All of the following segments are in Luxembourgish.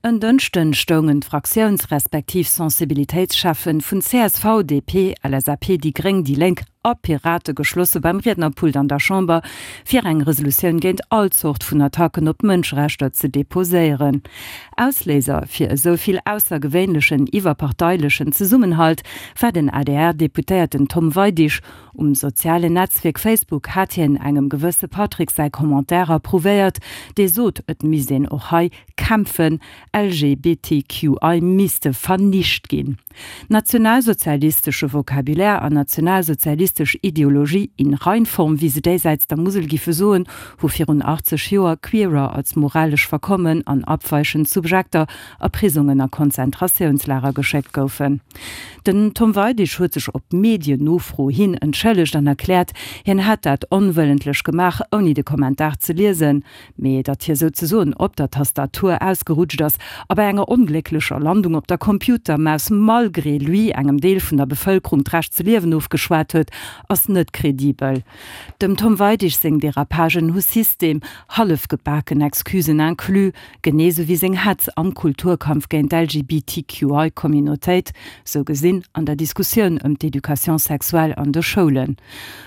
En Dënschden stoungen d'Fraktiouns respektiv Sensibilitéitscheffen vun csv, DP, LSAP, déi Gréng, déi Lénk a Pirate geschlosse beim Riednerpult an der Chamber, fir eng Resolutioun géint all Zort vun Attacken op d'Mënscherechter ze deposéieren. Ausléiser fir esou vill aussergewéinlechen iwwerparteilechen Zesummenhalt war den ADR-Deputéierten Tom Weidig. Um sozialen Netzwierk Facebook hat hien engem gewësse Patrick säi Commentaire approuvéiert, dee sot, et misst een och hei kämpfen, LGBTQI misste vernicht ginn. Nationalsozialistesche Vocabulaire an nationalsozialistesch Ideologie in Reinform, wéi se déisäits der Musel giffe soen, hu virun 80 Joer Queerer als moralesch verkommen an abweichend Subjekter a Prisongen a Konzentratiounslager geschéckt goufen. Den Tom Weidig huet sech op Medien-Nofro hin entschëllegt an erkläert, hien hätt dat onwëllentlech gemaach, ouni de Kommentar ze liesen. Mee datt hie souzesoen op der Tastatur ausgerutscht ass a bei enger onglécklecher Landung op der Computermaus malgré lui engem Deel vun der Bevëlkerung d'Recht ze liewen ofgeschwat huet, ass net kredibel. Dem Tom Weidig seng Derapagen hu System, hallefgebaken Excusen inclus, genee sou wéi seng Hetz am Kulturkampf géint d'LGBTQI-Communautéit, sou gesinn an der Diskussioun ëm d'Education sexuelle an de Schoulen.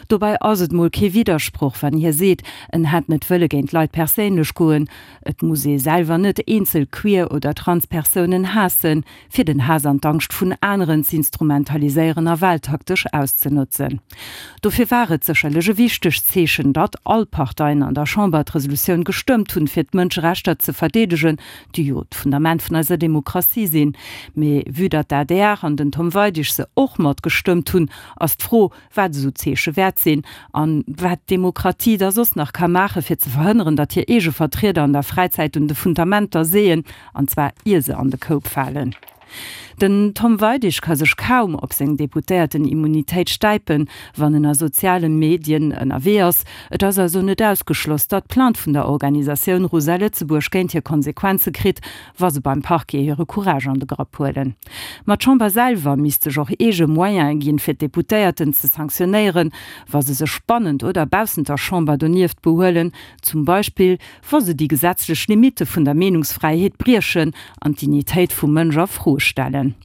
Dobäi ass et mol kee Widdersproch, wann hie seet, en hätt net wëlle géint Leit perséinlech goen. Et muss ee selwer net eenzel queer oder trans Persounen haassen, fir den Haass an d'Angscht vun aneren z'instrumentaliséieren a wahltaktesch auszenotzen. Dofir war et sécherlech e wichtegt Zeechen, datt all Parteien an der Chamber d'Resolutioun gestëmmt hunn, fir d'Mënscherechter ze verdeedegen, déi jo d'Fundament vun eiser Demokratie sinn. Mee vue datt d'ADR an den Tom Weidig se och mat gestëmmt hunn, ass d'Fro, wat esou Zeeche wäert sinn an wat d'Demokratie da soss nach ka maachen, fir ze verhënneren, datt hir eege Vertrieder an der Fräizäit un de Fundamenter seeën, an zwar ier se an de Koup falen. Den Tom Weidig ka sech kaum op seng Deputéierten-Immunitéit stäipen, wann en a soziale Medien ënnerwee ass. Et ass also net ausgeschloss, datt d'Plainte vun der Organisatioun Rosa Lëtzebuerg géint hie Konsequenze kritt, wa se beim Parquet hire Courage an de Grapp huelen. Ma d'Chamber selwer misst sech och eege Moyene ginn, fir d'Deputéierten ze sanktionéieren, wa se sech bannent oder baussent der Chamber donieft behuelen, zum Beispill wa se déi gesetzlech Limitte vun der Meenungsfräiheet briechen an d'Dignitéit vum Mënsch a Fro stellen.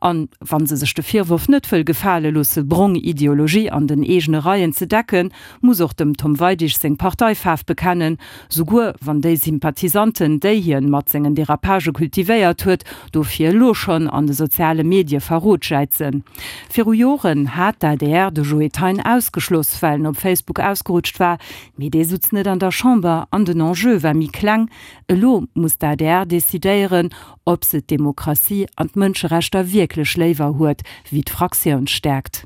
An wa se sech de Virworf net wëll gefale loosse, brong Ideologie an den eegene Reien ze decken, muss och dem Tom Weidig seng Parteifaarf bekennen, souguer wann déi Sympathisanten, déi hien mat sengen Derapagë kultivéiert huet, dofir elo schonn an de soziale Medie Verrot jäizen. Viru Joren hat d'ADR de Joe Thein ausgeschloss, well en op Facebook ausgerutscht war, mee dee sutz net an der Chamber an den Enjeu war méi kleng. Elo muss d'ADR decidéieren, ob se d'Demokratie an d'Mënscherechter wierklech léiwer huet wéi d'Fraktiounsstäerkt.